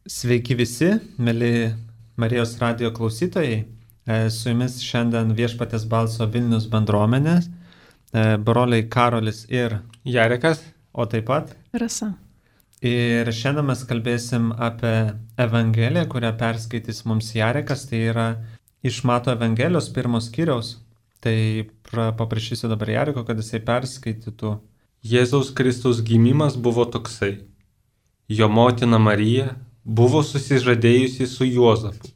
Sveiki visi, mėly Marijos radijo klausytojai. Su jumis šiandien Viešpaties balso Vilnius bendruomenė, broliai Karolis ir Jarekas, o taip pat Rasa. Ir šiandien mes kalbėsim apie Evangeliją, kurią perskaitys mums Jarekas, tai yra iš Mato Evangelijos 1 skyriaus. Tai paprašysiu dabar Jareko, kad jisai perskaitytų. Jėzaus Kristaus gimimas buvo toksai. Jo motina Marija buvo susižadėjusi su Juozapu.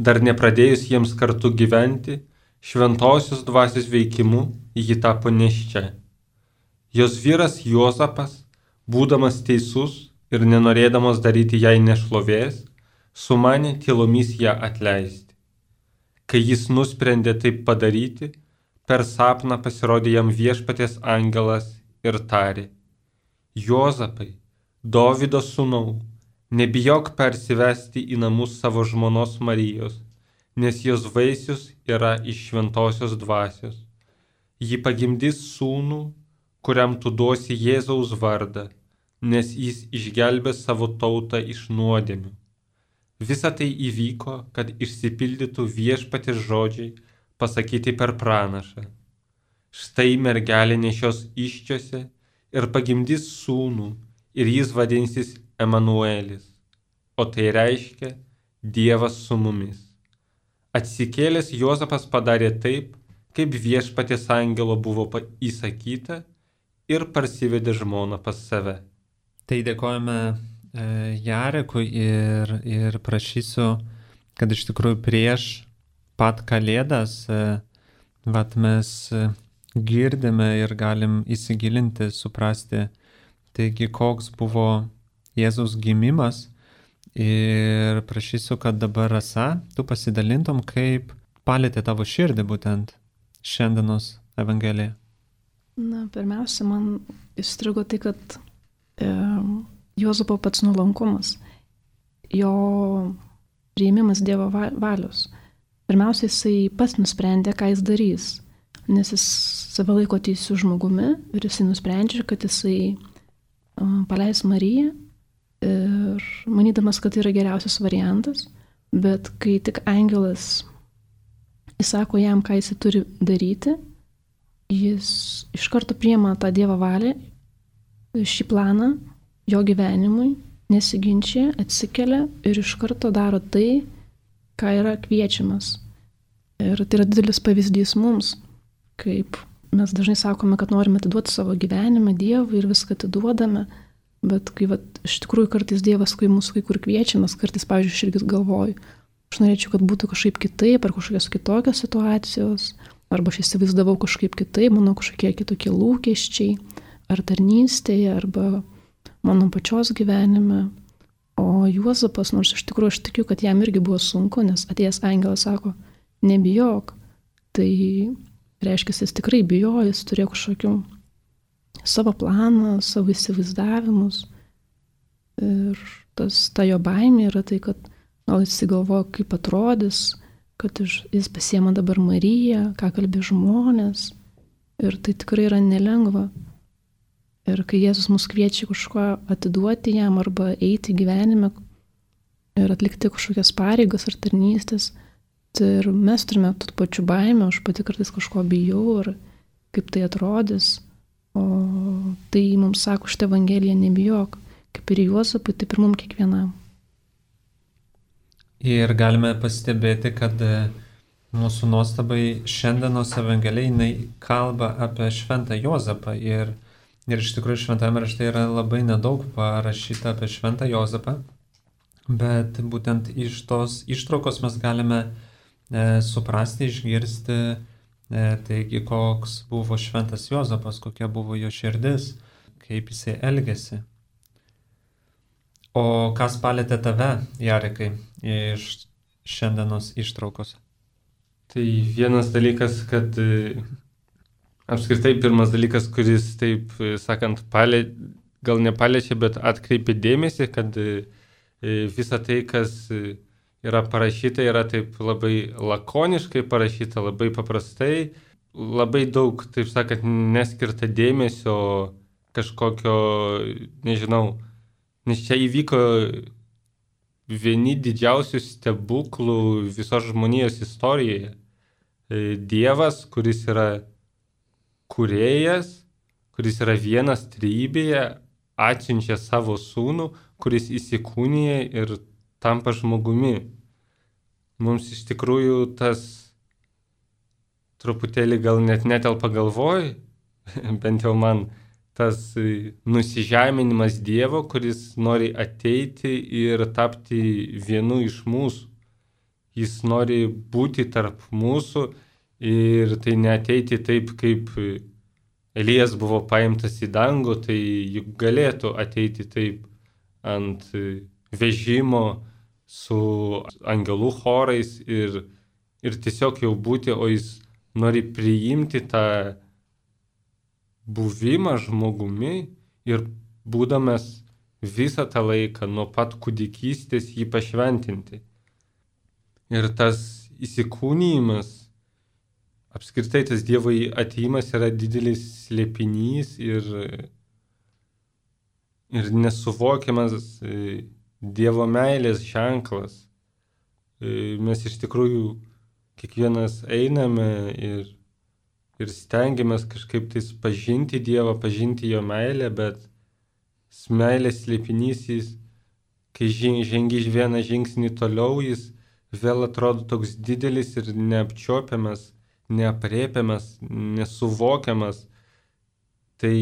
Dar nepradėjus jiems kartu gyventi, šventosios dvasios veikimu ji tapo nėščia. Jos vyras Juozapas, būdamas teisus ir nenorėdamas daryti jai nešlovės, sumanė tylomis ją atleisti. Kai jis nusprendė taip padaryti, per sapną pasirodė jam Viešpaties angelas ir tarė: Juozapai, Dovydo sūnau, nebijok persivesti į namus savo žmonos Marijos, nes jos vaisius yra iš šventosios dvasios. Ji pagimdys sūnų, kuriam tu duosi Jėzaus vardą, nes jis išgelbės savo tautą iš nuodėmių. Visa tai įvyko, kad išsipildytų Viešpaties žodžiai pasakyti per pranašą. Štai mergelė nešios įsčiose ir pagimdys sūnų, ir jis vadinsis Emanuelis, o tai reiškia Dievas su mumis. Atsikėlęs Juozapas padarė taip, kaip Viešpaties angelo buvo įsakyta, ir parsivedė žmoną pas save. Tai dėkojame Jarekui ir prašysiu, kad iš tikrųjų prieš pat Kalėdas mes girdime ir galim įsigilinti, suprasti, taigi koks buvo Jėzaus gimimas, ir prašysiu, kad dabar Rasa, tu pasidalintum, kaip palėtė tavo širdį būtent šiandienos Evangelija. Pirmiausia, man įstrigo tai, kad Juozapo pats nuolankumas, jo priėmimas Dievo valios. Pirmiausia, jisai pats nusprendė, ką jis darys, nes jis save laiko teisiu žmogumi ir jisai nusprendžia, kad jisai paleis Mariją, ir manydamas, kad tai yra geriausias variantas, bet kai tik angelas įsako jam, ką jis turi daryti, jis iš karto priima tą Dievo valią, šį planą jo gyvenimui, nesiginčia, atsikelia ir iš karto daro tai, ką yra kviečiamas. Ir tai yra didelis pavyzdys mums, kaip mes dažnai sakome, kad norime atiduoti savo gyvenimą Dievui ir viską atiduodame, bet kai iš tikrųjų kartais Dievas mūsų kai kur kviečiamas, kartais, pavyzdžiui, aš irgi galvoju, aš norėčiau, kad būtų kažkaip kitaip, ar kažkokios kitokios situacijos, arba aš įsivaizdavau kažkaip kitaip, mano kažkokie kitokie lūkesčiai, ar tarnystėje, arba mano pačios gyvenime. O Juozapas, nors iš tikrųjų aš tikiu, kad jam irgi buvo sunku, nes atėjęs angelas sako, nebijok, tai reiškia, jis tikrai bijojo, jis turėjo kažkokių savo planą, savo įsivaizdavimus. Ir ta jo baimė yra tai, kad gal jis galvoja, kaip atrodys, kad jis pasiema dabar Mariją, ką kalbė žmonės. Ir tai tikrai yra nelengva. Ir kai Jėzus mus kviečia kažko atiduoti jam arba eiti gyvenime ir atlikti kažkokias pareigas ar tarnystės, tai ir mes turime tų pačių baimę, aš pati kartais kažko bijau ir kaip tai atrodys. O tai mums sako šitą Evangeliją, nebijok, kaip ir Juozapui, taip ir mums kiekvienam. Ir galime pastebėti, kad mūsų nuostabai šiandienos Evangelija jinai kalba apie šventą Juozapą. Ir iš tikrųjų šventame rašte yra labai nedaug parašyta apie šventą Juozapą, bet būtent iš tos ištraukos mes galime suprasti, išgirsti, taigi koks buvo šventas Juozapas, kokia buvo jo širdis, kaip jisai elgėsi. O kas palėtė tave, Jarekai, iš šiandienos ištraukos? Tai vienas dalykas, kad apskritai pirmas dalykas, kuris, taip sakant, gal nepaliečia, bet atkreipia dėmesį, kad visa tai, kas yra parašyta, yra taip labai lakoniškai parašyta, labai paprastai, labai daug, taip sakant, neskirta dėmesio kažkokio, nežinau, nes čia įvyko vieni didžiausių stebuklų visos žmonijos istorijoje. Dievas, kuris yra kūrėjas, kuris yra vienas trejybėje, atsiunčia savo sūnų, kuris įsikūnija ir tampa žmogumi. Mums iš tikrųjų tas truputėlį gal net netelpa galvoj, bent jau man, tas nusižeminimas Dievo, kuris nori ateiti ir tapti vienu iš mūsų. Jis nori būti tarp mūsų ir tai neateiti taip, kaip Elijas buvo paimtas į dangų, tai juk galėtų ateiti taip ant vežimo su angelų chorais ir tiesiog jau būti, o jis nori priimti tą buvimą žmogumi ir būdamas visą tą laiką nuo pat kūdikystės jį pašventinti. Ir tas įsikūnijimas, apskritai tas Dievo atėjimas yra didelis slėpinys ir nesuvokiamas Dievo meilės ženklas. Mes iš tikrųjų kiekvienas einame ir stengiamės kažkaip tais pažinti Dievą, pažinti jo meilę, bet meilės slėpinys jis, kai žengi vieną žingsnį toliau, jis vėl atrodo toks didelis ir neapčiopiamas, neaprėpiamas, nesuvokiamas. Tai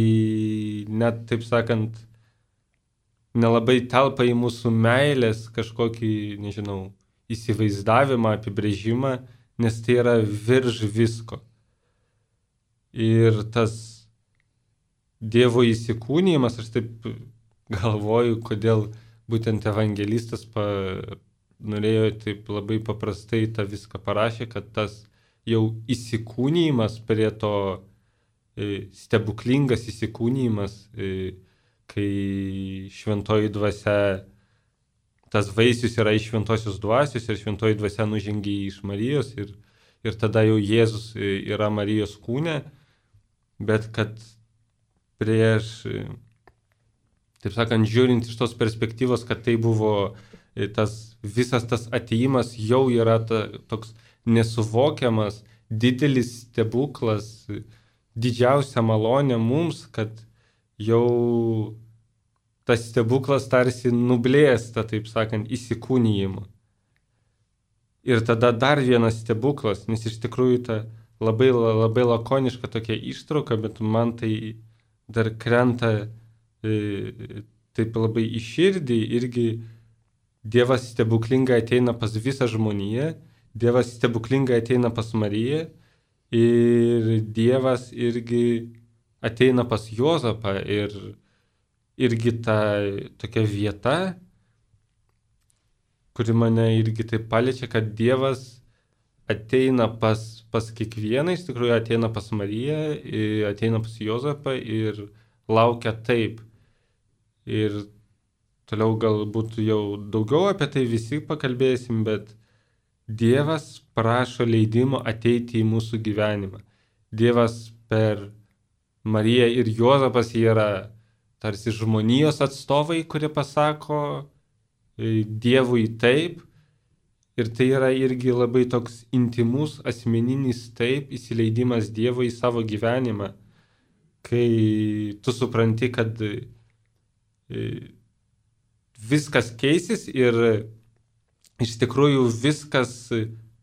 net, taip sakant, nelabai telpa į mūsų meilės kažkokį, nežinau, įsivaizdavimą, apibrėžimą, nes tai yra virš visko. Ir tas Dievo įsikūnijimas, aš taip galvoju, kodėl būtent evangelistas norėjo taip labai paprastai tą viską parašė, kad tas jau įsikūnijimas prie to stebuklingas įsikūnijimas, kai šventoji dvasia, tas vaisius yra iš šventosios dvasios ir šventoji dvasia nužengia iš Marijos ir tada jau Jėzus yra Marijos kūne, bet kad prieš, taip sakant, žiūrint iš tos perspektyvos, kad tai buvo visas tas atėjimas jau yra toks nesuvokiamas, didelis stebuklas, didžiausia malonė mums, kad jau tas stebuklas tarsi nublėsta, taip sakant, įsikūnijimu. Ir tada dar vienas stebuklas, nes iš tikrųjų ta labai lakoniška tokia ištrauka, bet man tai dar krenta taip labai į širdį, irgi Dievas stebuklingai ateina pas visą žmoniją, Dievas stebuklingai ateina pas Mariją ir Dievas irgi ateina pas Juozapą ir irgi ta tokia vieta, kuri mane irgi taip paliečia, kad Dievas ateina pas kiekvieną, iš tikrųjų ateina pas Mariją, ateina pas Juozapą ir laukia taip. Ir toliau galbūt jau daugiau apie tai visi pakalbėsim, bet Dievas prašo leidimo ateiti į mūsų gyvenimą. Dievas per Mariją ir Juozapas yra tarsi žmonijos atstovai, kurie pasako Dievui taip. Ir tai yra irgi labai toks intimus, asmeninis taip įsileidimas Dievo į savo gyvenimą, kai tu supranti, kad viskas keisis ir iš tikrųjų viskas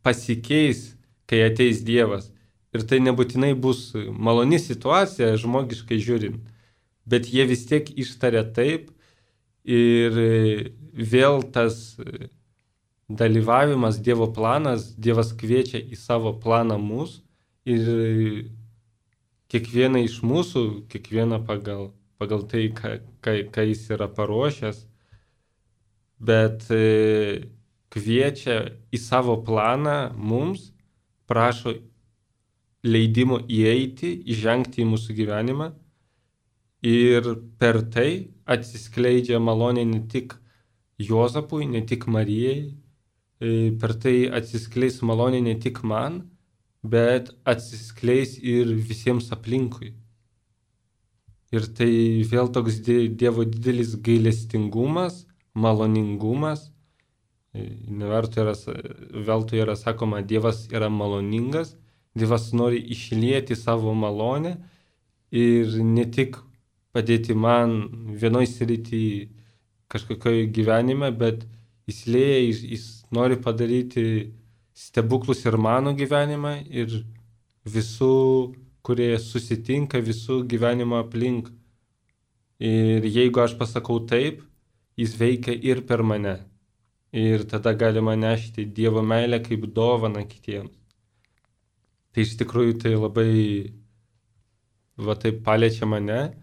pasikeis, kai ateis Dievas. Ir tai nebūtinai bus maloni situacija, žmogiškai žiūrint, bet jie vis tiek ištaria taip ir vėl tas dalyvavimas Dievo planas, Dievas kviečia į savo planą mus ir kiekvieną iš mūsų, kiekvieną pagal tai, ką jis yra paruošęs, bet kviečia į savo planą mums, prašo leidimo įeiti, įžengti į mūsų gyvenimą ir per tai atsiskleidžia malonė ne tik Juozapui, ne tik Marijai, per tai atsiskleis malonė ne tik man, bet atsiskleis ir visiems aplinkui. Ir tai vėl toks Dievo didelis gailestingumas, maloningumas Veltui yra sakoma, Dievas yra maloningas, Dievas nori išlieti savo malonę ir ne tik padėti man vienoj srity kažkokioje gyvenime, bet jis nori padaryti stebuklus ir mano gyvenimą, ir visų, kurie susitinka, visų gyvenimo aplink. Ir jeigu aš pasakau taip, jis veikia ir per mane. Ir tada galima nešti Dievo meilę kaip dovaną kitiems. Tai iš tikrųjų tai labai taip paliečia mane.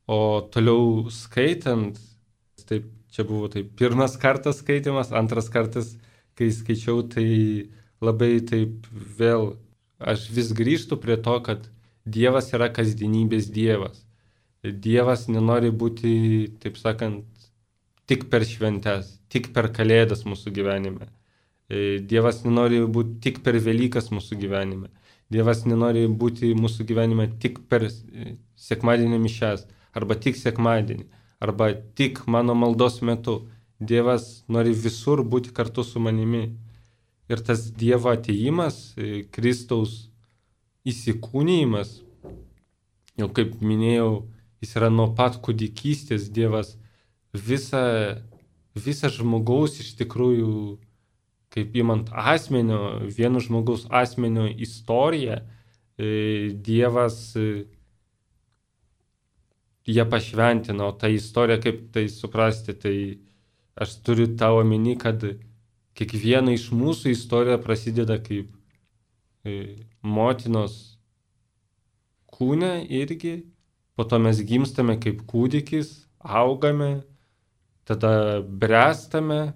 O toliau skaitant, taip, čia buvo taip pirmas kartas skaitimas, antras kartas, kai skaičiau, tai labai taip vėl, aš vis grįžtu prie to, kad Dievas yra kasdienybės Dievas. Dievas nenori būti, taip sakant, tik per šventes, tik per kalėdas mūsų gyvenime. Dievas nenori būti tik per Velykas mūsų gyvenime. Dievas nenori būti mūsų gyvenime tik per sekmadienio mišias, arba tik sekmadienį, arba tik mano maldos metu. Dievas nori visur būti kartu su manimi. Ir tas Dievo atėjimas, Kristaus įsikūnijimas, jau kaip minėjau, jis yra nuo pat kūdikystės Dievas, visą žmogaus iš tikrųjų, kaip imant vieno žmogaus asmenio istoriją, Dievas ją pašventino. Ta istorija, kaip tai suprasti, tai aš turiu tą omeny, kad kiekviena iš mūsų istorija prasideda kaip motinos kūne irgi, po to mes gimstame kaip kūdikis, augame, tada bręstame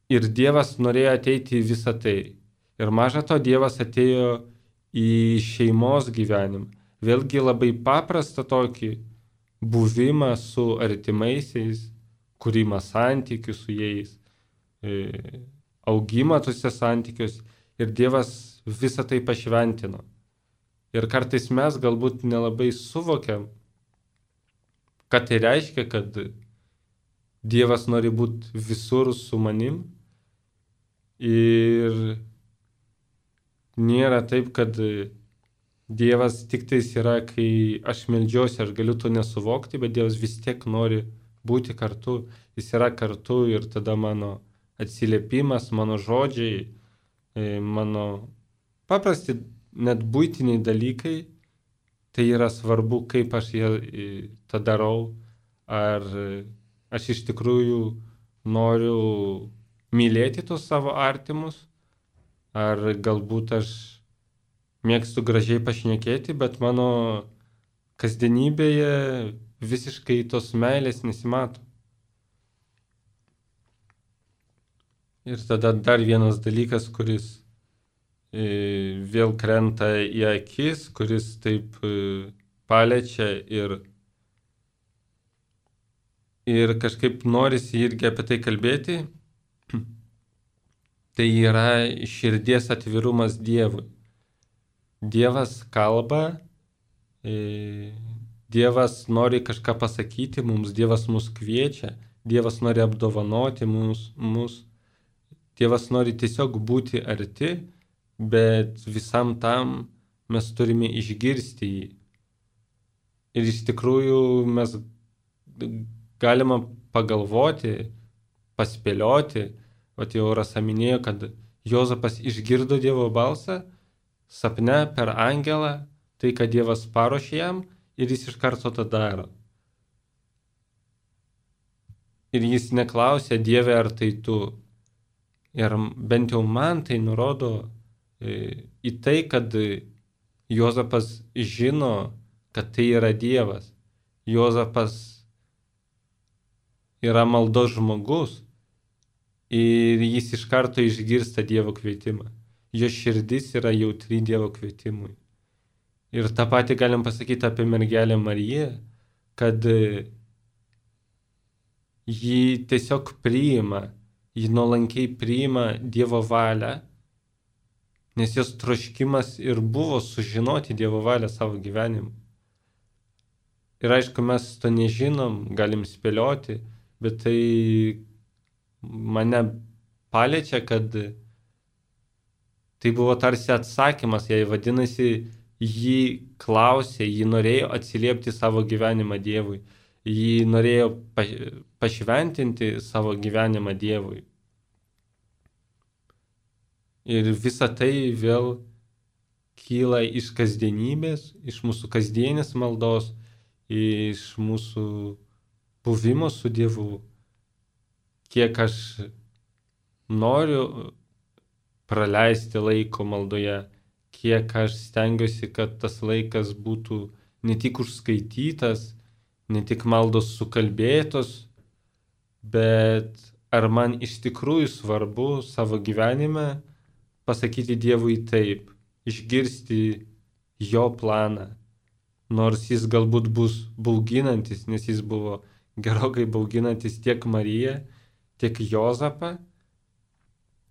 ir Dievas norėjo ateiti į visą tai. Ir maža to, Dievas atėjo į šeimos gyvenimą. Vėlgi labai paprastą tokį buvimą su artimaisiais, kūrimą santykių su jais, augimą tuose santykius, ir Dievas visą tai pašventino. Ir kartais mes galbūt nelabai suvokiam, kad tai reiškia, kad Dievas nori būti visur su manim. Ir nėra taip, kad Dievas tik tais yra, kai aš meldžiuosi, aš galiu to nesuvokti, bet Dievas vis tiek nori būti kartu. Jis yra kartu ir tada mano atsiliepimas, mano žodžiai, mano paprasti net buitiniai dalykai, tai yra svarbu, kaip aš tą darau. Ar aš iš tikrųjų noriu mylėti tos savo artimus, ar galbūt aš mėgstu gražiai pašnekėti, bet mano kasdienybėje visiškai tos meilės nesimato. Ir tada dar vienas dalykas, kuris vėl krenta į akis, kuris taip paliečia ir kažkaip norisi irgi apie tai kalbėti, tai yra širdies atvirumas Dievui. Dievas kalba, Dievas nori kažką pasakyti mums, Dievas mus kviečia, Dievas nori apdovanoti mus, Dievas nori tiesiog būti arti, bet visam tam mes turime išgirsti jį. Ir iš tikrųjų mes galima pagalvoti, paspėlioti, jau Rasa minėjo, kad Juozapas išgirdo Dievo balsą sapne per angelą, tai, kad Dievas paruošė jam, ir jis iš karto tą daro. Ir jis neklausė, Dieve, ar tai tu. Ir bent jau man tai nurodo į tai, kad Juozapas žino, kad tai yra Dievas. Juozapas yra maldos žmogus ir jis iš karto išgirsta Dievo kvietimą. Jo širdis yra jautri Dievo kvietimui. Ir tą patį galim pasakyti apie mergelę Mariją, kad ji tiesiog priima, ji nuolankiai priima Dievo valią, nes jos troškimas ir buvo sužinoti Dievo valią savo gyvenimu. Ir aišku, mes to nežinom, galim spėlioti, bet tai mane paliečia, kad tai buvo tarsi atsakymas, jai vadinasi, jį klausė, jį norėjo atsiliepti savo gyvenimą Dievui, jį norėjo pašventinti savo gyvenimą Dievui. Ir visa tai vėl kyla iš kasdienybės, iš mūsų kasdienės maldos, iš mūsų buvimo su Dievu. Kiek aš noriu praleisti laiko maldoje, kiek aš stengiuosi, kad tas laikas būtų ne tik užskaitytas, ne tik maldos sukalbėtos, bet ar man iš tikrųjų svarbu savo gyvenime pasakyti Dievui taip, išgirsti jo planą, nors jis galbūt bus bauginantis, nes jis buvo gerokai bauginantis tiek Mariją, tiek Juozapą,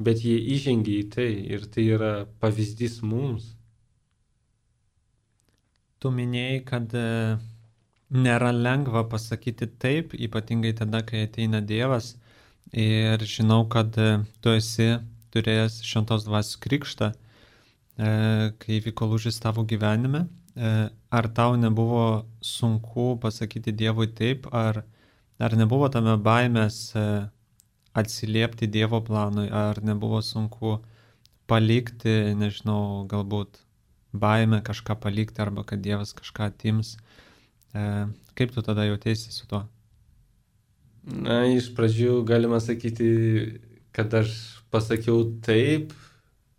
bet jie įžengė į tai ir tai yra pavyzdys mums. Tu minėjai, kad nėra lengva pasakyti taip, ypatingai tada, kai ateina Dievas. Ir žinau, kad tu esi turėjęs Šventos Dvasios krikštą, kai vyko lūžis tavo gyvenime. Ar tau nebuvo sunku pasakyti Dievui taip, ar nebuvo tame baimės atsiliepti Dievo planui, ar nebuvo sunku palikti, nežinau, galbūt baimę kažką palikti, arba kad Dievas kažką atims. Kaip tu tada jautėsi su tuo? Na, iš pradžių galima sakyti, kad aš pasakiau taip,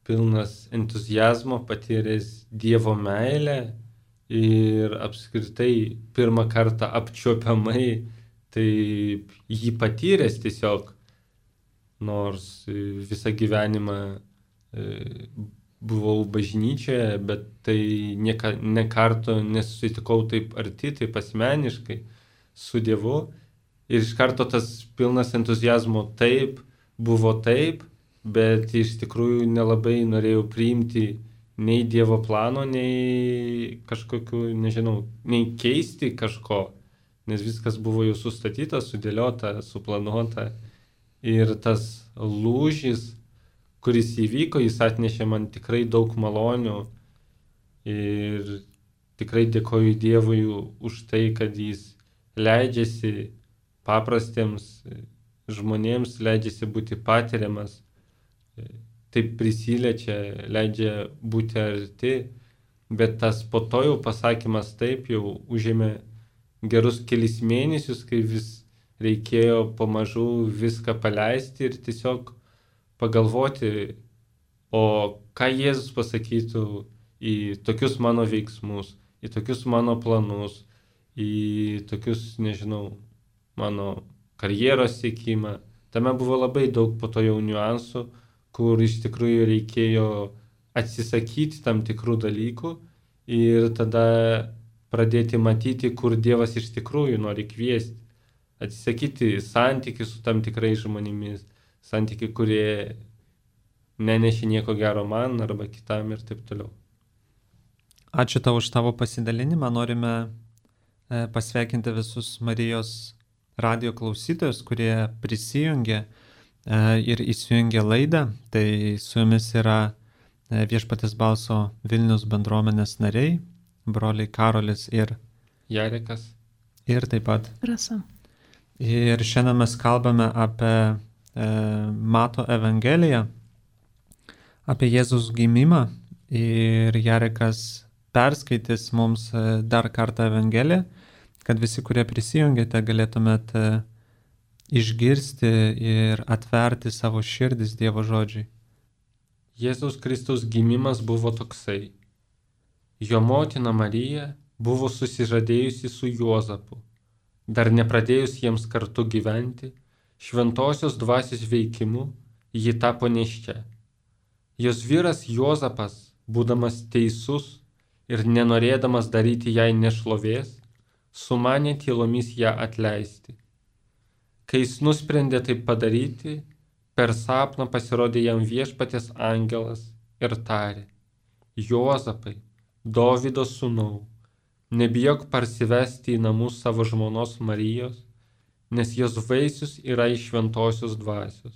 pilnas entuzijazmo, patyręs Dievo meilę ir apskritai pirmą kartą apčiuopiamai taip jį patyręs tiesiog. Nors visą gyvenimą buvau bažnyčioje, bet tai ne karto nesusitikau taip arti, taip asmeniškai su Dievu. Ir iš karto tas pilnas entuzijazmo taip, buvo taip, bet iš tikrųjų nelabai norėjau priimti nei Dievo plano, nei kažkokiu, nežinau, nei keisti kažko, nes viskas buvo jau sustatyta, sudėliota, suplanuota. Ir tas lūžis, kuris įvyko, jis atnešė man tikrai daug malonių ir tikrai dėkoju Dievui už tai, kad jis leidžiasi paprastiems žmonėms, leidžiasi būti patiriamas, taip prisiliečia, leidžia būti arti, bet tas po to jau pasakymas taip jau užėmė gerus kelis mėnesius, kai vis reikėjo pamažu viską paleisti ir tiesiog pagalvoti, o ką Jėzus pasakytų į tokius mano veiksmus, į tokius mano planus, į tokius, nežinau, mano karjeros siekimą. Tame buvo labai daug po to jau niuansų, kur iš tikrųjų reikėjo atsisakyti tam tikrų dalykų ir tada pradėti matyti, kur Dievas iš tikrųjų nori kviesti. Atsisakyti santykių su tam tikrais žmonėmis, santykiai, kurie nenešė nieko gero man arba kitam ir taip toliau. Ačiū tau už tavo pasidalinimą. Norime pasveikinti visus Marijos radio klausytojus, kurie prisijungė ir įsijungė laidą. Tai su jumis yra Viešpaties balso Vilnius bendruomenės nariai, broliai Karolis ir Jarekas. Ir taip pat Rasa. Ir šiandien mes kalbame apie Mato Evangeliją, apie Jėzus gimimą. Ir Jarekas perskaitys mums dar kartą Evangeliją, kad visi, kurie prisijungėte, galėtumėt išgirsti ir atverti savo širdis Dievo žodžiai. Jėzaus Kristaus gimimas buvo toksai. Jo motina Marija buvo susižadėjusi su Juozapu. Dar nepradėjus jiems kartu gyventi, šventosios dvasios veikimu ji tapo nėščia. Jos vyras Juozapas, būdamas teisus ir nenorėdamas daryti jai nešlovės, sumanė tylomis ją atleisti. Kai jis nusprendė tai padaryti, per sapną pasirodė jam Viešpaties angelas ir tarė: Juozapai, Dovydo sūnau, nebijok parsivesti į namus savo žmonos Marijos, nes jos vaisius yra iš šventosios dvasios.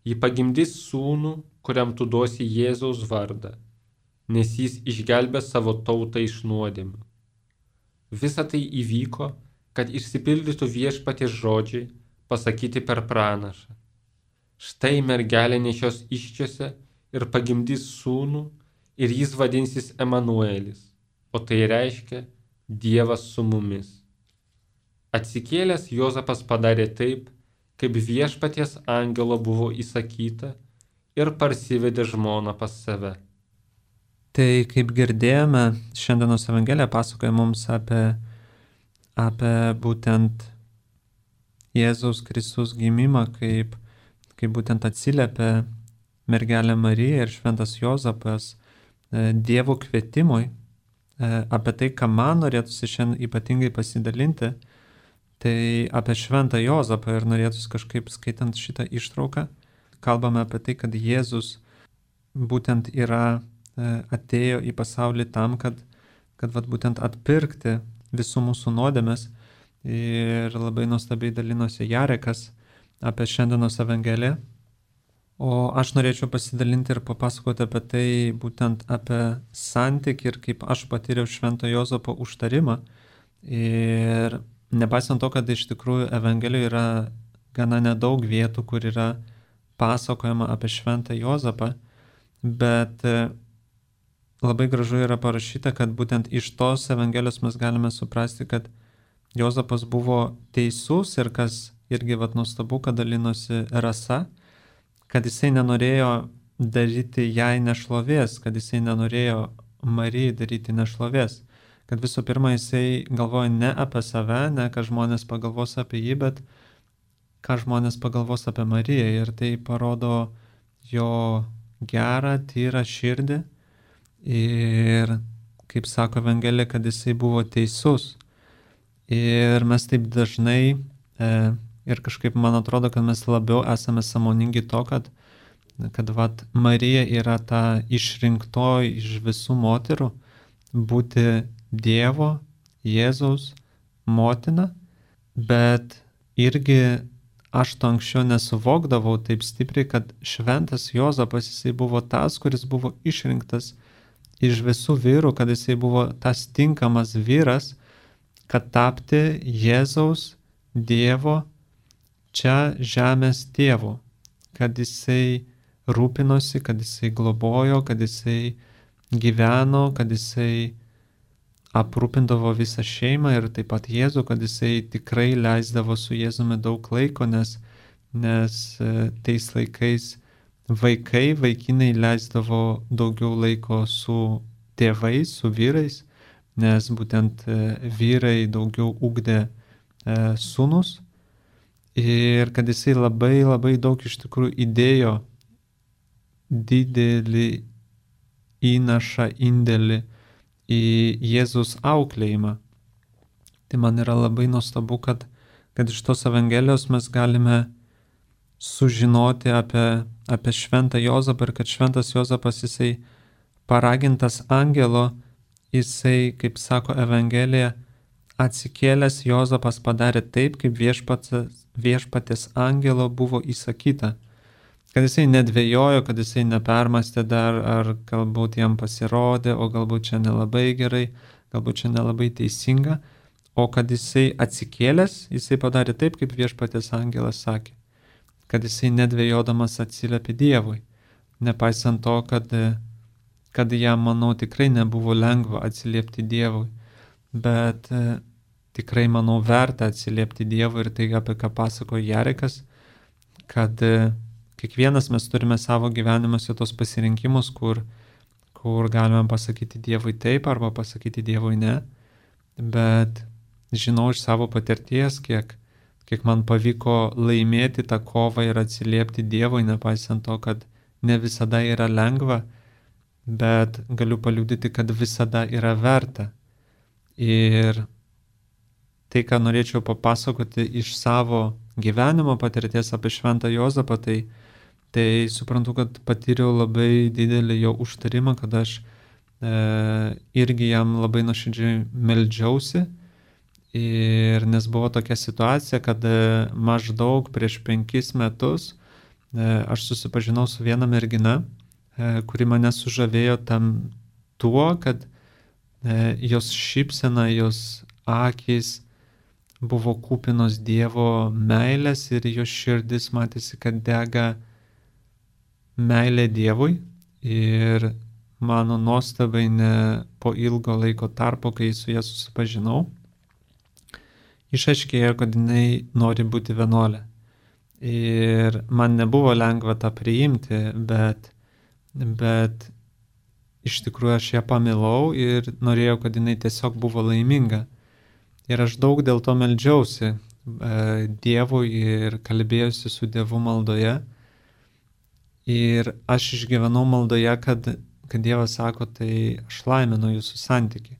Ji pagimdys sūnų, kuriam tu duosi Jėzaus vardą, nes jis išgelbės savo tautą iš nuodėmių. Visa tai įvyko, kad išsipildytų Viešpaties žodžiai pasakyti per pranašą. Štai mergelė nešios įsčiose ir pagimdys sūnų, ir jis vadinsis Emanuelis, o tai reiškia Dievas su mumis. Atsikėlęs Juozapas padarė taip, kaip Viešpaties angelo buvo įsakyta, ir parsivedė žmoną pas save. Tai kaip girdėjome, šiandienos Evangelija pasakoja mums apie būtent Jėzaus Kristaus gimimą, kaip būtent atsiliepia mergelė Marija ir šventas Juozapas Dievo kvietimui, apie tai, ką man norėtųsi šiandien ypatingai pasidalinti, tai apie šventą Juozapą ir norėtųsi kažkaip skaitant šitą ištrauką, kalbame apie tai, kad Jėzus būtent atėjo į pasaulį tam, kad būtent atpirkti visų mūsų nuodėmes, ir labai nuostabiai dalinosi Jarekas apie šiandienos Evangeliją. O aš norėčiau pasidalinti ir papasakoti apie tai, būtent apie santykį ir kaip aš patyriau švento Juozapo užtarimą. Ir nepaisant to, kad iš tikrųjų Evangelijoje yra gana nedaug vietų, kur yra pasakojama apie šventą Juozapą, bet labai gražu yra parašyta, kad būtent iš tos Evangelijos mes galime suprasti, kad Juozapas buvo teisus ir kas irgi nuostabu, kad dalinosi Rasa, kad jisai nenorėjo daryti jai nešlovės, kad jisai nenorėjo Marijai daryti nešlovės, kad visų pirma jisai galvoja ne apie save, ne ką žmonės pagalvos apie jį, bet ką žmonės pagalvos apie Mariją, ir tai parodo jo gerą, tyrą širdį ir, kaip sako Evangelija, kad jisai buvo teisus. Ir mes taip dažnai ir kažkaip man atrodo, kad mes labiau esame sąmoningi to, kad Marija yra ta išrinktoji iš visų moterų būti Dievo, Jėzaus motina, bet irgi aš to anksčiau nesuvokdavau taip stipriai, kad šventas Juozapas jisai buvo tas, kuris buvo išrinktas iš visų vyrų, kad jisai buvo tas tinkamas vyras, kad tapti Jėzaus Dievo čia žemės tėvu, kad jisai rūpinosi, kad jisai globojo, kad jisai gyveno, kad jisai aprūpindavo visą šeimą ir taip pat Jėzų, kad jisai tikrai leisdavo su Jėzumi daug laiko, nes tais laikais vaikinai leisdavo daugiau laiko su tėvais, su vyrais, nes būtent vyrai daugiau ugdė sūnus. Ir kad jisai labai labai daug iš tikrųjų įdėjo didelį įnašą, indėlį į Jėzus auklėjimą. Tai man yra labai nuostabu, kad iš tos Evangelijos mes galime sužinoti apie šventą Juozapą ir kad šventas Juozapas jisai paragintas angelo, jisai, kaip sako Evangelija, atsikėlęs Juozapas padarė taip, kaip viešpaties angelo buvo įsakyta. Kad jisai nedvejojo, kad jisai nepermastė dar, ar galbūt jam pasirodė, o galbūt čia nelabai gerai, galbūt čia nelabai teisinga, o kad jisai atsikėlęs, jisai padarė taip, kaip viešpaties angelas sakė. Kad jisai nedvejodamas atsiliepė Dievui. Nepaisant to, kad jam, manau, tikrai nebuvo lengva atsiliepti Dievui, bet tikrai, manau, verta atsiliepti Dievui, ir tai, apie ką pasakojo Jarekas, kad kiekvienas mes turime savo gyvenimuose tos pasirinkimus, kur galime pasakyti Dievui taip arba pasakyti Dievui ne, bet žinau iš savo patirties, kiek man pavyko laimėti tą kovą ir atsiliepti Dievui, nepaisant to, kad ne visada yra lengva, bet galiu paliudyti, kad visada yra verta. Ir tai, ką norėčiau papasakoti iš savo gyvenimo patirties apie šventą Juozapą, tai suprantu, kad patyriau labai didelį jo užtarimą, kad aš irgi jam labai nuoširdžiai meldžiausi Ir nes buvo tokia situacija, kad maždaug prieš 5 metus aš susipažinau su viena mergina, kuri mane sužavėjo tuo, kad jos šypsena, jos akys buvo kupinos Dievo meilės ir jos širdis matėsi, kad dega meilė Dievui. Ir mano nuostabai po ilgo laiko tarpo, kai su ja susipažinau, išaiškėjo, kad jinai nori būti vienuolė. Ir man nebuvo lengva tą priimti, bet iš tikrųjų aš ją pamilau ir norėjau, kad jinai tiesiog buvo laiminga. Ir aš daug dėl to meldžiausi Dievui ir kalbėjausi su Dievu maldoje. Ir aš išgyvenau maldoje, kad Dievas sako, tai aš laiminu jūsų santykį.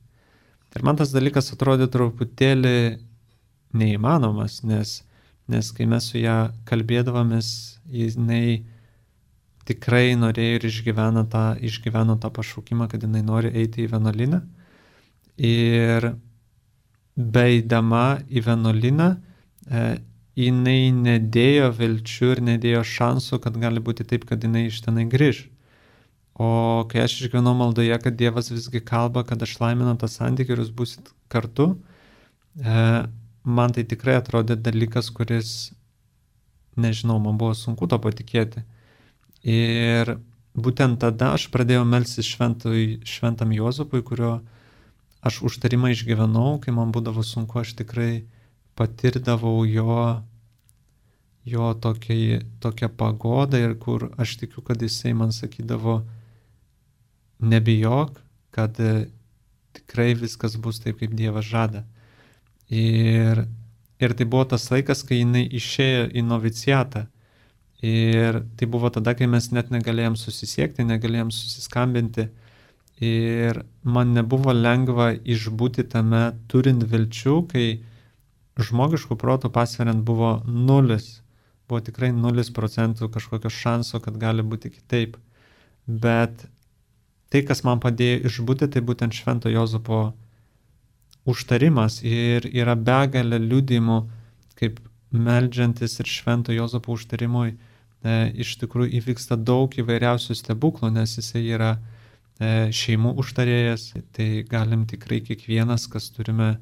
Ir man tas dalykas atrodė truputėlį neįmanomas, nes kai mes su ją kalbėdavomės, jinai tikrai norėjo ir išgyveno tą pašaukimą, kad jinai nori eiti į vienuolyną. Ir beeidama į vienuolyną, jinai nedėjo vilčių ir nedėjo šansų, kad gali būti taip, kad jinai iš tenai grįž. O kai aš išgyvenau maldoje, kad Dievas visgi kalba, kad aš laiminu tą santykį ir jūs būsit kartu, man tai tikrai atrodė dalykas, kuris, nežinau, man buvo sunku to patikėti. Ir būtent tada aš pradėjau melstis šventam Juozapui, kurio aš užtarimą išgyvenau, kai man būdavo sunku, aš tikrai patirdavau jo tokią pagodą ir kur aš tikiu, kad jisai man sakydavo, nebijok, kad tikrai viskas bus taip, kaip Dievas žada. Ir tai buvo tas laikas, kai jinai išėjo į noviciatą. Ir tai buvo tada, kai mes net negalėjom susisiekti, negalėjom susiskambinti. Ir man nebuvo lengva išbūti tame turint vilčių, kai žmogiškų protų pasveriant buvo 0. Buvo tikrai 0% kažkokio šanso, kad gali būti kitaip. Bet tai, kas man padėjo išbūti, tai būtent Švento Juozapo užtarimas. Ir yra begalė liudijimų, kaip meldžiantis ir Švento Juozapo užtarimui iš tikrųjų įvyksta daug įvairiausių stebuklų, nes jisai yra šeimų užtarėjas. Tai galim tikrai kiekvienas, kas turime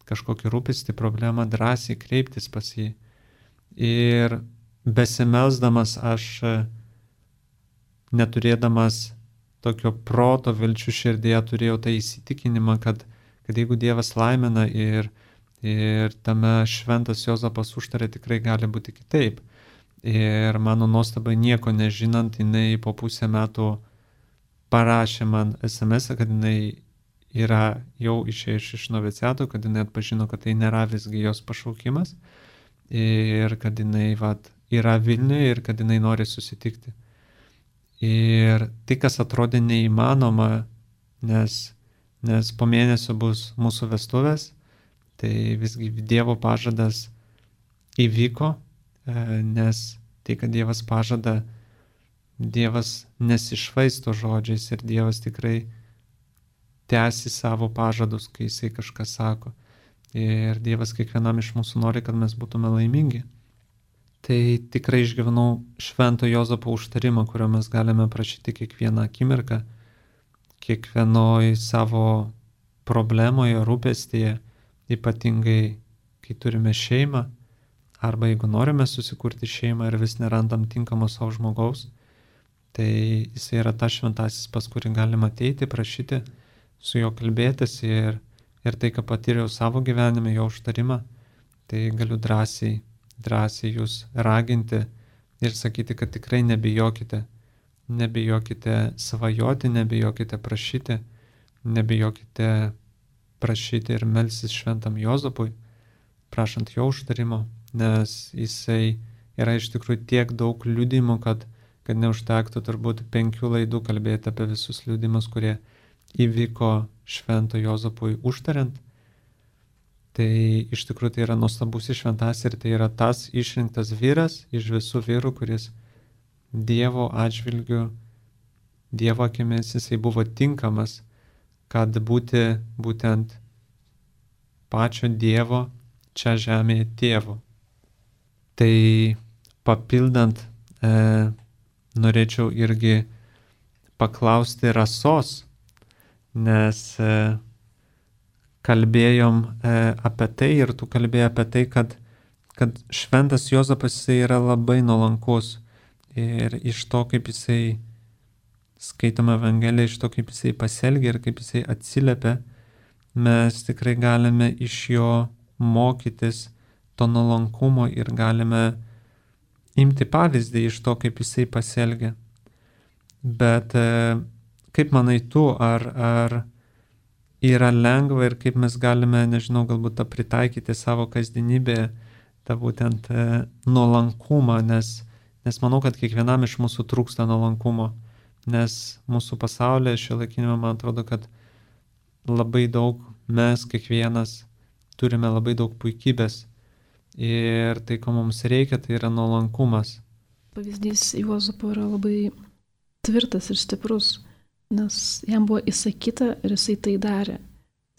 kažkokį rūpestį, problemą, drąsiai kreiptis pas jį. Ir besimelsdamas aš, neturėdamas tokio proto vilčių širdėje, turėjau tą įsitikinimą, kad jeigu Dievas laimina ir tame Šventas Juozapas užtarė, tikrai gali būti kitaip. Ir mano nuostabai nieko nežinant, jinai po 5 metų parašė man SMS, kad jinai yra jau išėjus iš noviciato, kad jinai atpažino, kad tai nėra visgi jos pašaukimas ir kad jinai yra Vilniuje ir kad jinai nori susitikti. Ir tai, kas atrodė neįmanoma, nes po mėnesio bus mūsų vestuvės, tai visgi Dievo pažadas įvyko, nes tai, kad Dievas pažada, Dievas nesišvaisto žodžiais ir Dievas tikrai tęsi savo pažadus, kai jisai kažką sako. Ir Dievas kiekvienam iš mūsų nori, kad mes būtume laimingi. Tai tikrai išgyvenau Švento Juozapo užtarimą, kurio mes galime prašyti kiekvieną akimirką, kiekvienoj savo problemoje, rūpestyje, ypatingai kai turime šeimą, arba jeigu norime susikurti šeimą ir vis nerandam tinkamo savo žmogaus, tai jis yra tas šventasis, pas kurį galima ateiti, prašyti, su juo kalbėtis ir tai, ką patyriau savo gyvenime, jo užtarimą, tai galiu drąsiai jūs raginti ir sakyti, kad tikrai nebijokite svajoti, nebijokite prašyti ir melstis Šventam Juozapui, prašant jo užtarimo, nes jisai yra iš tikrųjų tiek daug liudijimų, kad neužtektų turbūt 5 laidų kalbėti apie visus liudijimus, kurie įvyko Švento Juozapui užtariant. Tai iš tikrųjų tai yra nuostabus šventas ir tai yra tas išrinktas vyras iš visų vyrų, kuris Dievo atžvilgiu, Dievo akimis jisai buvo tinkamas, kad būti būtent pačio Dievo čia žemėje tėvo. Tai papildant, norėčiau irgi paklausti Rasos, nes kalbėjom apie tai ir tu kalbėjai apie tai, kad šventas Juozapas jisai yra labai nuolankus ir iš to, kaip jisai skaitome Evangeliją, iš to, kaip jisai pasielgia ir kaip jisai atsiliepia, mes tikrai galime iš jo mokytis to nuolankumo ir galime imti pavyzdį iš to, kaip jisai pasielgia. Bet kaip manai tu, ar yra lengva ir kaip mes galime, nežinau, galbūt tą pritaikyti savo kasdienybėje, tą būtent nuolankumą, nes manau, kad kiekvienam iš mūsų trūksta nuolankumo, nes mūsų pasaulyje šiuolaikinėme, man atrodo, kad labai daug mes kiekvienas turime labai daug puikybės ir tai, ko mums reikia, tai yra nuolankumas. Pavyzdys Juozapo yra labai tvirtas ir stiprus, nes jam buvo įsakyta ir jisai tai darė.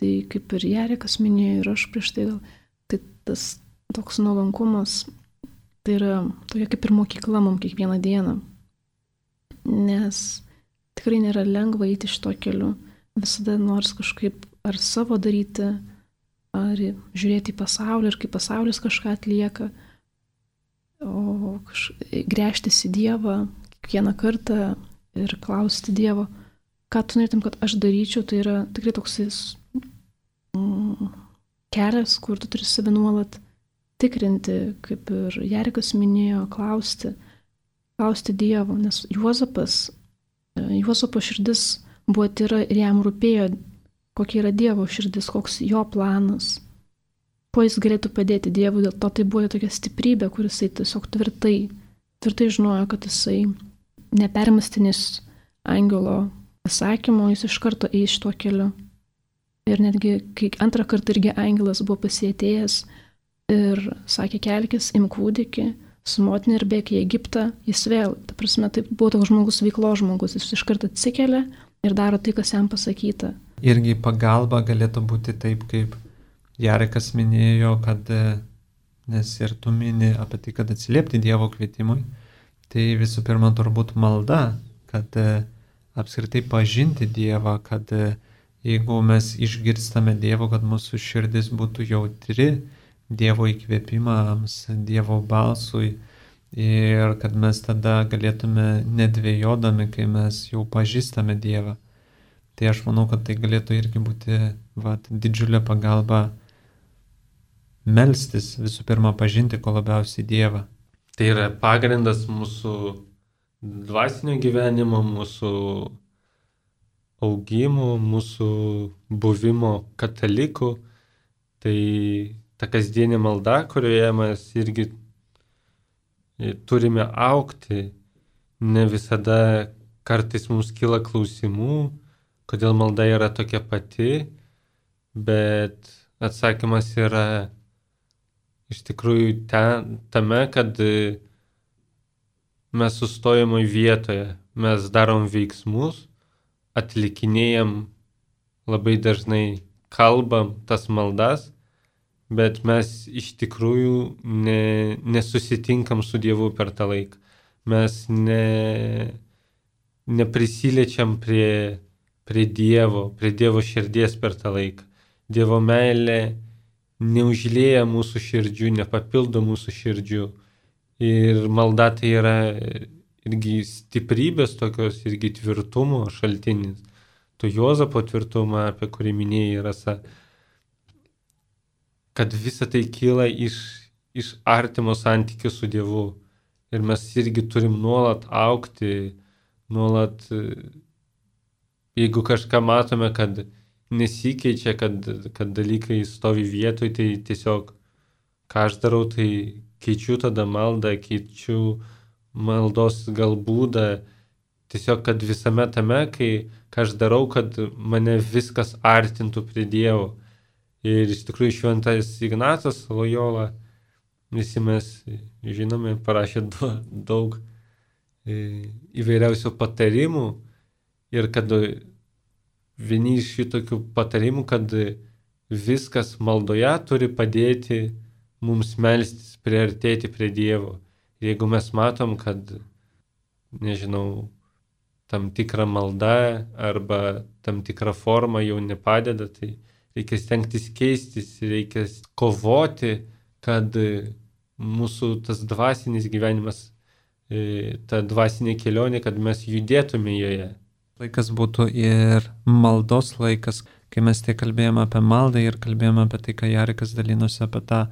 Tai kaip ir Jarekas minėjo ir aš prieš tai, tai tas toks nuolankumas, tai yra tokia kaip ir mokykla mums kiekvieną dieną. Nes tikrai nėra lengva eiti šito keliu. Visada nors kažkaip ar savo daryti, ar žiūrėti į pasaulį ir kaip pasaulis kažką atlieka, o gręžtis į Dievą kiekvieną kartą ir klausti Dievo, ką tu norėtum, kad aš daryčiau, tai yra tikrai toks kelias, kur tu turi save nuolat tikrinti, kaip ir Jarekas minėjo, klausti Dievo, nes Juozapo širdis buvo tyra ir jam rūpėjo, kokia yra Dievo širdis, koks jo planas, kuo jis galėtų padėti Dievui, dėl to tai buvo tokia stiprybė, kuris jisai tiesiog tvirtai žinojo, kad jisai nepermastinės angelo pasakymo, jis iš karto eis šituo keliu. Ir netgi, kai antrą kartą irgi angelas buvo pasietėjęs ir sakė, kelkis, imk kūdikį, su motina ir bėk į Egiptą, jis vėl, ta prasme, tai buvo toks žmogus, veiklos žmogus, jis iš karto atsikelia ir daro tai, kas jam pasakyta. Irgi pagalba galėtų būti taip, kaip Jarekas minėjo, kad, nes ir tu mini apie tai, kad atsiliepti Dievo kvietimui, tai visų pirma turbūt malda, kad apskritai pažinti Dievą, kad jeigu mes išgirstame Dievo, kad mūsų širdis būtų jautri Dievo įkvėpimams, Dievo balsui ir kad mes tada galėtume nedvejodami, kai mes jau pažįstame Dievą. Tai aš manau, kad tai galėtų irgi būti didžiulė pagalba melstis, visų pirma pažinti ko labiausiai Dievą. Tai yra pagrindas mūsų dvasinio gyvenimo, mūsų augimo, mūsų buvimo katalikų. Tai ta kasdienė malda, kurioje mes irgi turime augti, ne visada kartais mums kyla klausimų, kodėl malda yra tokia pati, bet atsakymas yra iš tikrųjų tame, kad mes sustojame vietoje, mes darom veiksmus, atlikinėjam, labai dažnai kalbam tas maldas, bet mes iš tikrųjų nesusitinkam su Dievu per tą laiką. Mes neprisiliečiam prie Dievo širdies per tą laiką. Dievo meilė neužlieja mūsų širdžių, nepapildo mūsų širdžių. Ir malda tai yra irgi stiprybės tokios, irgi tvirtumo šaltinis. To Juozapo tvirtumą, apie kurį minėjai, Rasa, kad visa tai kyla iš artimo santykio su Dievu. Ir mes irgi turim nuolat augti, nuolat, jeigu kažką matome, kad nesikeičia, kad dalykai stovi vietoj, tai tiesiog, ką aš darau, tai keičiu tada maldą, keičiu maldos galbūdą, tiesiog, kad visame tame, ką aš darau, kad mane viskas artintų prie Dievo. Ir iš tikrųjų šventas Ignacas Lojola, visi mes žinome, parašė daug įvairiausių patarimų ir kad vieni iš šitokių patarimų, kad viskas maldoje turi padėti mums melstis, priartėti prie Dievo. Jeigu mes matom, kad, nežinau, tam tikra malda arba tam tikra forma jau nepadeda, tai reikia stengtis keistis, reikia kovoti, kad mūsų tas dvasinis gyvenimas, ta dvasinė kelionė, kad mes judėtume joje. Laikas būtų ir maldos laikas, kai mes tiek kalbėjome apie maldą ir kalbėjome apie tai, ką Jarikas dalinosi apie tą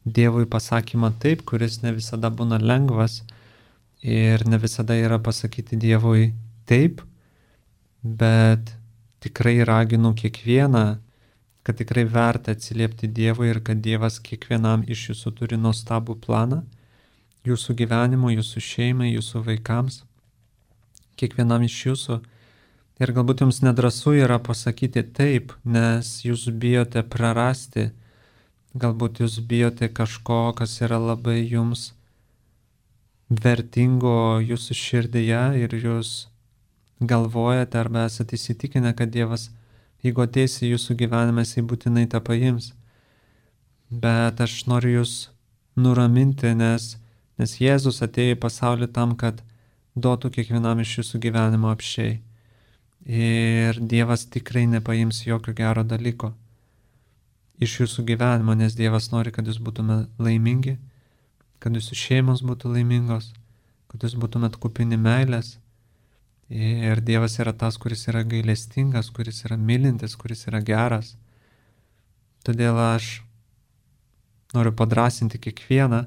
Dievui pasakymą taip, kuris ne visada būna lengvas ir ne visada yra pasakyti Dievui taip, bet tikrai raginu kiekvieną, kad tikrai verta atsiliepti Dievui ir kad Dievas kiekvienam iš jūsų turi nuostabų planą, jūsų gyvenimo, jūsų šeimai, jūsų vaikams, kiekvienam iš jūsų. Ir galbūt jums nedrąsu yra pasakyti taip, nes jūs bijote prarasti, galbūt jūs bijote kažko, kas yra labai jums vertingo jūsų širdyje ir jūs galvojate arba esate įsitikinę, kad Dievas, jeigu ateis į jūsų gyvenimą, jisai būtinai tą paims. Bet aš noriu jūs nuraminti, nes Jėzus atėjo į pasaulį tam, kad duotų kiekvienam iš jūsų gyvenimo apsčiai. Ir Dievas tikrai nepaims jokio gero dalyko iš jūsų gyvenimo, nes Dievas nori, kad jūs būtume laimingi, kad jūsų šeimos būtų laimingos, kad jūs būtumėt kupini meilės. Ir Dievas yra tas, kuris yra gailestingas, kuris yra mylintis, kuris yra geras. Todėl aš noriu padrasinti kiekvieną,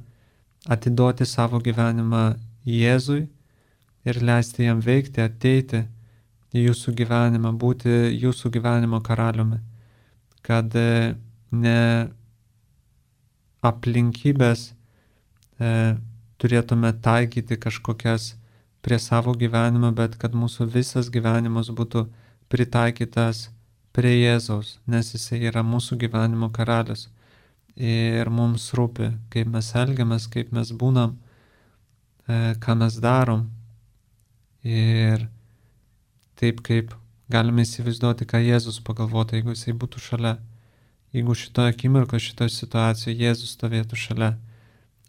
atiduoti savo gyvenimą Jėzui ir leisti jam veikti, ateiti į jūsų gyvenimą, būti jūsų gyvenimo karaliumi, kad ne aplinkybės turėtume taikyti kažkokias prie savo gyvenimo, bet kad mūsų visas gyvenimas būtų pritaikytas prie Jėzaus, nes jisai yra mūsų gyvenimo karalius. Ir mums rūpi, kaip mes elgiamės, kaip mes būnam, ką mes darom. Ir taip, kaip galime įsivaizduoti, ką Jėzus pagalvotų, jeigu jisai būtų šalia. Jeigu šitoje akimirkoje, šitoje situacijoje Jėzus stovėtų šalia,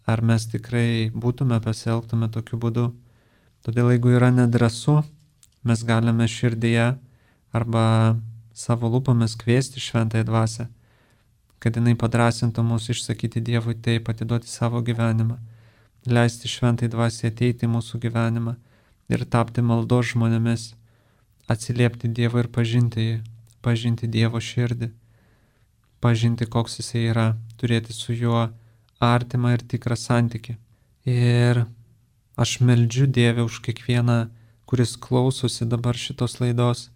ar mes tikrai būtume pasielgtume tokiu būdu. Todėl jeigu yra nedrąsu, mes galime širdyje arba savo lūpomis kviesti šventąją dvasią, kad jinai padrasintų mus išsakyti Dievui taip, atiduoti savo gyvenimą, leisti šventai dvasiai ateiti į mūsų gyvenimą ir tapti maldos žmonėmis, atsiliepti Dievą ir pažinti Dievo širdį, pažinti, koks jisai yra, turėti su juo artimą ir tikrą santykį. Ir aš meldžiu Dievę už kiekvieną, kuris klausosi dabar šitos laidos.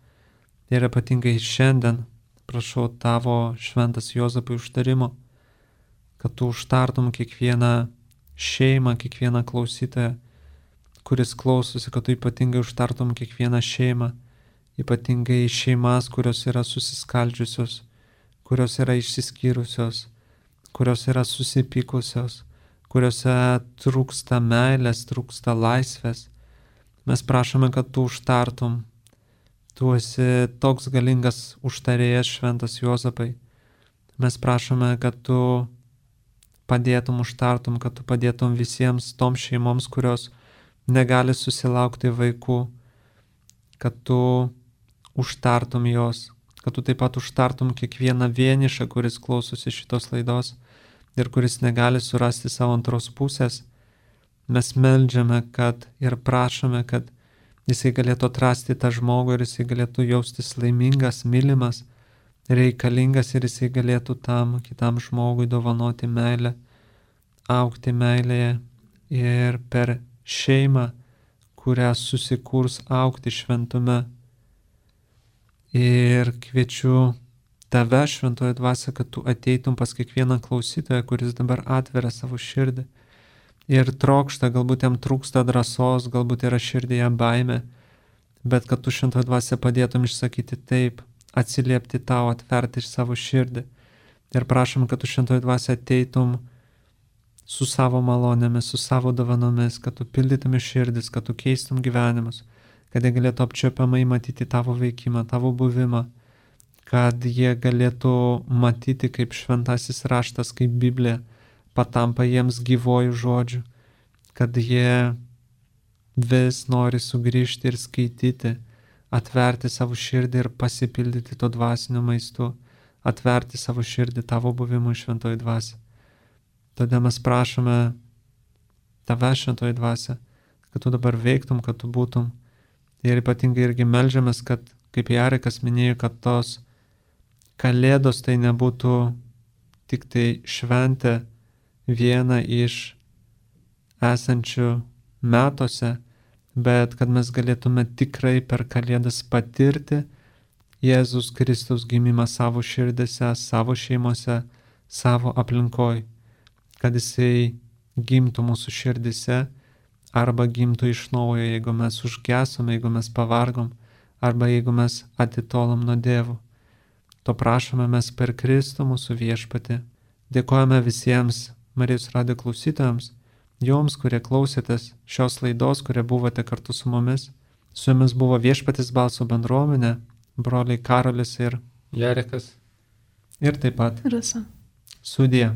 Ir ypatingai šiandien prašau tavo šventas Juozapai užtarimo, kad tu užtartum kiekvieną šeimą, kiekvieną klausytoją, kuris klausosi, kad tu ypatingai užtartum kiekvieną šeimą, ypatingai šeimas, kurios yra susiskaldžiusios, kurios yra išsiskyrusios, kurios yra susipykusios, kuriuose trūksta meilės, trūksta laisvės. Mes prašome, kad tu užtartum. Tu esi toks galingas užtarėjas, šventas Juozapai. Mes prašome, kad tu padėtum, užtartum, kad tu padėtum visiems toms šeimoms, kurios negali susilaukti vaikų, kad tu užtartum jos, kad tu taip pat užtartum kiekvieną vienišą, kuris klausosi šitos laidos ir kuris negali surasti savo antros pusės. Mes meldžiame, kad ir prašome, kad jisai galėtų atrasti tą žmogų ir jisai galėtų jaustis laimingas, mylimas, reikalingas ir jisai galėtų tam kitam žmogui dovanoti meilę, augti meilėje ir per šeimą, kurią susikurs augti šventume. Ir kviečiu tave, šventoji dvasia, kad tu ateitum pas kiekvieną klausytoją, kuris dabar atveria savo širdį ir trokšta, galbūt jam trūksta drąsos, galbūt yra širdyje baimė, bet kad tu, šventoji dvasia, padėtum išsakyti taip, atsiliepti tau, atverti savo širdį. Ir prašom, kad tu, šventoji dvasia, ateitum su savo malonėmis, su savo dovanomis, kad tu pildytum širdis, kad tu keistum gyvenimus, kad jie galėtų apčiuopiamai matyti tavo veikimą, tavo buvimą, kad jie galėtų matyti, kaip šventasis raštas, kaip Biblija patampa jiems gyvojų žodžių, kad jie vis nori sugrįžti ir skaityti, atverti savo širdį ir pasipildyti to dvasiniu maistu, atverti savo širdį tavo buvimui šventoji dvasia. Todėl mes prašome tave, šventoji dvasia, kad tu dabar veiktum, kad tu būtum. Ir ypatingai irgi melžiamės, kad, kaip Jarikas minėjo, kad tos kalėdos tai nebūtų tik tai šventė viena iš esančių metuose, bet kad mes galėtume tikrai per kalėdas patirti Jėzus Kristaus gimimą savo širdėse, savo šeimose, savo aplinkoj, kad jisai gimtų mūsų širdėse arba gimtų iš naujo, jeigu mes užgesome, jeigu mes pavargom arba jeigu mes atitolom nuo Dievo. To prašome mes per Kristų mūsų viešpatį. Dėkojame visiems Marijos radijo klausytojams, joms, kurie klausėtės šios laidos, kurie buvote kartu su mumis. Su jumis buvo Viešpaties balso bendruomenė, broliai Karolis ir Jarikas. Ir taip pat Rasa. Sudie.